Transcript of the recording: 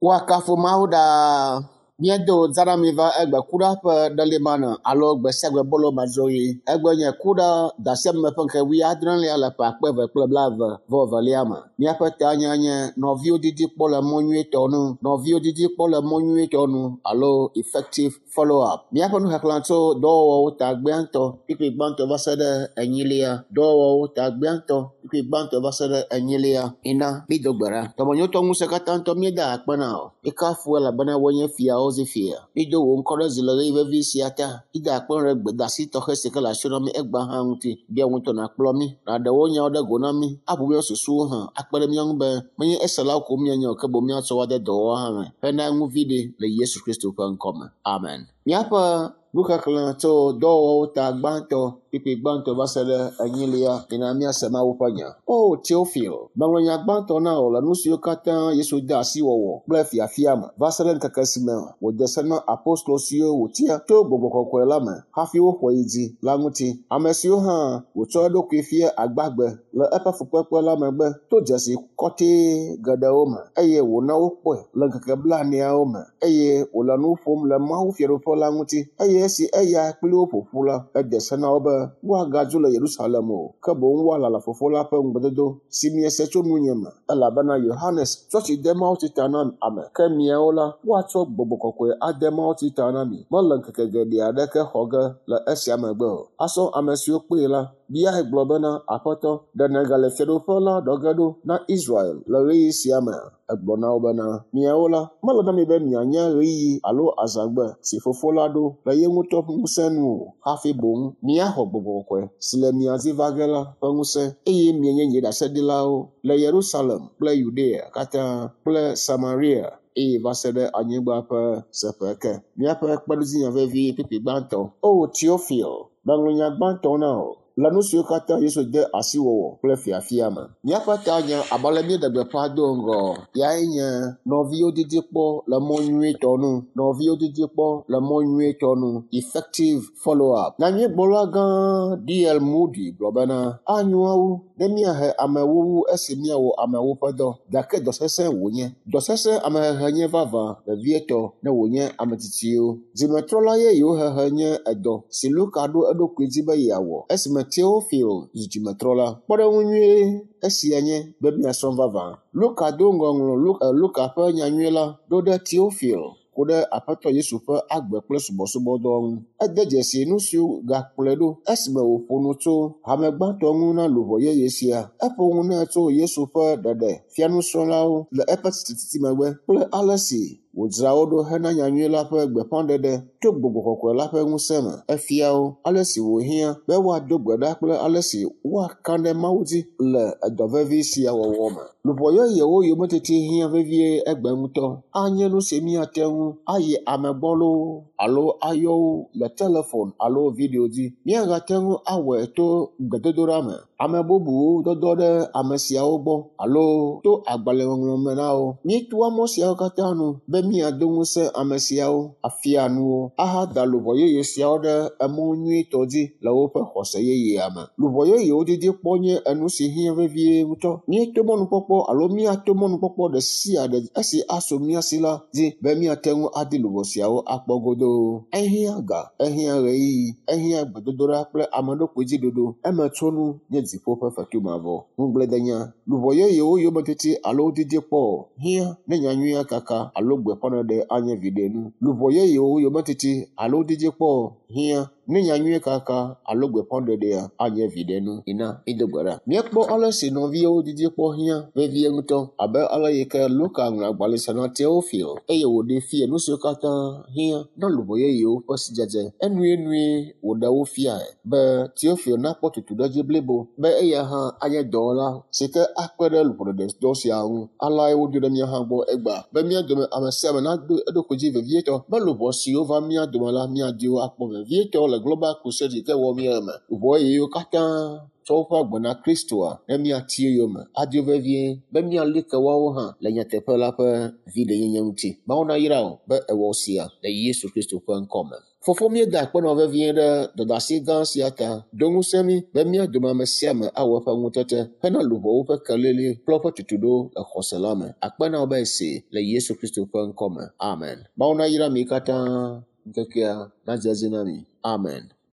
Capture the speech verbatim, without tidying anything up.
Woakafu Mawu ɖaa. Míedo dzanami va egbe kuɖa ƒe ɖelimana alo gbe sia gbe bolo madzroɣi. Egbe nye kuɖa dasiame ƒe ŋkeke wuiadrelia le ƒe akpe eve kple blaeve vɔ evelia me. Míaƒe tanya nye nɔviwo didi kpɔ le mɔ nyuietɔ nu. Nɔviwo didi kpɔ le mɔ nyuietɔ nu alo effective follow-up. Míaƒe nuxexlẽ tso dɔwɔwɔwo ta gbãtɔ kpukpui gbãtɔ va se ɖe enyilia. Dɔwɔwɔwo ta gbãtɔ kpukpui gbãtɔ va se ɖe enyilia. Ina mído gbe ɖa. Dɔmenyotɔ ŋusẽ katã ŋutɔ míeda akpe na wò. Míekafu elabena wòe nye fiawo zi fia. Mído wò ŋkɔ ɖe dzi le ɣeyiɣi vevi sia ta. Mída akpe ɖe gbedasi tɔxɛ si ke le asiwò na mí egbea hã ŋuti. Bia wò ŋutɔ nàkplɔ mí, nàɖe wò nyawo ɖe go na mí, aʋu míaƒe susuwo hã, akpe ɖe mía ŋu be menye eselawo ko míanye o ke boŋ míatsɔ wo ade dɔwɔwɔ hã me hena nu viɖe le Yesu Kristo ƒe ŋkɔme. Amen. Míaƒe nuxexlẽ tso dɔwɔwɔwo ta gbãtɔ kpukpui gbãtɔ va se ɖe enyilia mina míase Mawu ƒe nya. O Teofil, meŋlɔ nya gbãtɔ na wò le nu siwo katã Yesu de asi wɔwɔ kple fiafia me va se ɖe ŋkeke si me wòde se na apostolo siwo wòtia to gbɔgbɔ kɔkɔe la me hafi woxɔe yi dzi la ŋuti. Ame siwo hã wòtsɔ eɖokui fia agbagbe le eƒe fukpekpe la megbe to dzesi kɔtɛe geɖewo me eye wòna wokpɔe le ŋkeke blaeneawo me eye wòle nu ƒom le Mawu fiaɖuƒe la ŋuti eye esi eya kpli wo ƒo ƒu la, ede se na wo be woagadzo le Yerusalem o, ke boŋ woalala Fofo la ƒe ŋugbedodo si miese tso nunye me. Elabena Yohanes tsɔ tsi de mawutsi ta na ame, ke miawo la, woatsɔ gbɔgbɔ kɔkɔe ade mawutsi ta na mi. Mele ŋkeke geɖe aɖeke xɔ ge le esia megbe o. Azɔ ame siwo kpee la, biae gblɔ bena, Aƒetɔ, ɖe nègale fiaɖuƒe la ɖɔ ge ɖo na Israel le ɣeyiɣi sia mea? Egblɔ na wo bena, miawo la, mele na mi be mianya ɣeyiɣi alo azãgbe si Fofo la ɖo le ye ŋutɔ ƒe ŋusẽ nu o, hafi boŋ miaxɔ gbɔgbɔ kɔkɔe si le mia dzi va ge la ƒe ŋusẽ eye mianye nye ɖaseɖilawo le Yerusalem kple Yudea katã kple Samaria eye va se ɖe anyigba ƒe seƒe ke. Míaƒe kpeɖodzinya vevi kpukpui gbãtɔ. O Teofil, meŋlɔ nya gbãtɔ na wò le nu siwo katã Yesu de asi wɔwɔ kple fiafia me. Míaƒe tanya abe ale míeɖe gbeƒã do ŋgɔ yae nye nɔviwo didi kpɔ le mɔ nyuietɔ nu. Nɔviwo didi kpɔ le mɔ nyuietɔ nu. Effective follow-up. Nyanyuigblɔla gã D L Moody gblɔ bena anyo wu ne míahe amewo wu esi míawɔ amewo ƒe dɔ. Gake dɔ sesẽ wònye. Dɔ sesẽ amehehe nye vavã vevietɔ ne wònye ame tsitsiwo. Dzimetrɔla yeyewo hehe nye edɔ si Luka ɖo eɖokui dzi be yeawɔ esime Teofil zu dzimetrɔla. Kpɔɖeŋu nyuie esia nye be míasrɔ̃ vavã. Luka do ŋgɔ ŋlɔ Luka ƒe nyanyui la ɖo ɖe Teofil ku ɖe Aƒetɔ Yesu ƒe agbe kple subɔsubɔdɔ ŋu. Ede dzesi nu siwo gakplɔe ɖo esime wòƒo nu tso hame gbãtɔ ŋu na luʋɔ yeye sia. Eƒo nu nɛ tso Yesu ƒe ɖeɖe fia nusrɔ̃lawo le eƒe tsitretsitsi megbe kple ale si wòdzra wo ɖo hena nyanyui la ƒe gbeƒãɖeɖe to gbɔgbɔ kɔkɔe la ƒe ŋusẽ me. Efia wo ale si wòhiã be woado gbe ɖa kple ale si woaka ɖe Mawu dzi le edɔ vevi sia wɔwɔ me. Luʋɔ yeyewo yometiti hiã vevie egbe ŋutɔ. Anye nu si míate ŋu ayi ame gbɔ loo alo ayɔ wo le telefon alo video dzi. Míagate ŋu awɔe to gbedodoɖa me, ame bubuwo dɔdɔ ɖe ame siawo gbɔ alo to agbalẽŋɔŋlɔ me na wo. Míetoa mɔ siawo katã nu be míado ŋusẽ ame siawo, afia nu wo, ahada luʋɔ yeye siawo ɖe emɔ nyuietɔ dzi le woƒe xɔse yeyea me. Luʋɔ yeyewo didi kpɔ nye enu si hiã vevie ŋutɔ. Míeto mɔnukpɔkpɔ alo míato mɔnukpɔkpɔ ɖe sia ɖe esi asu mía si la dzi be míate ŋu adi luʋɔ siawo akpɔ godoo. Ehiã ga, ehiã ɣeyiɣi, ehiã gbedodoɖa kple ameɖokui dzi ɖoɖo. Emetsonu nye dziƒo ƒe fetu mavɔ. Ŋugbledenya, luʋɔ yeyewo yometiti alo didi kpɔ hiã ne nyanyuia kaka alo gbeƒãɖeɖe anye viɖenu. Luʋɔ yeyewo yometiti alo didi kpɔ hiã ne nyanyui kaka alo gbeƒãɖeɖea anye viɖenu. Ina mído gbe ɖa. Míekpɔ ale si nɔviwo didi kpɔ hiã vevie ŋutɔ abe ale yi ke Luka ŋlɔ agbalẽ sia na Teofil eye wòɖee fia nu siwo katã hiã na luʋɔ yeyewo ƒe sidzedze. Enuenue wòɖe wo fiae be Teofil nakpɔ tutuɖedzi blibo be eya hã anye dɔwɔla si ke akpe ɖe luʋɔɖeɖedɔ sia ŋu. Aleae wodo ɖe mía hã gbɔ egbea be mía dome ame sia ame nado eɖokui dzi vevietɔ be luʋɔ siwo va mía dome la míadi wo akpɔ vevietɔ le Global Crusade yi ke wɔm míele me. Luʋɔ yeyewo katã tsɔ woƒe agbe na Kristoa ne míati eyome adio vevie be míali ke woawo hã le nyateƒe la ƒe viɖenyenye ŋuti. Mawu nayra wò be ewɔ sia le Yesu Kristo ƒe ŋkɔ me. Fofo míeda akpe nɔ vevie ɖe dɔdeasi gã sia ta. Do ŋusẽ mí be mía dome ame sia ame awɔ eƒe ŋutete hena luʋɔwo ƒe kelili kple woƒe tutuɖo le xɔse la me. Akpe na wò be esi le Yesu Kristo ƒe ŋkɔ me. Amen. Mawu nayra mi katã ŋkekea nadze edzi na mi. Amen.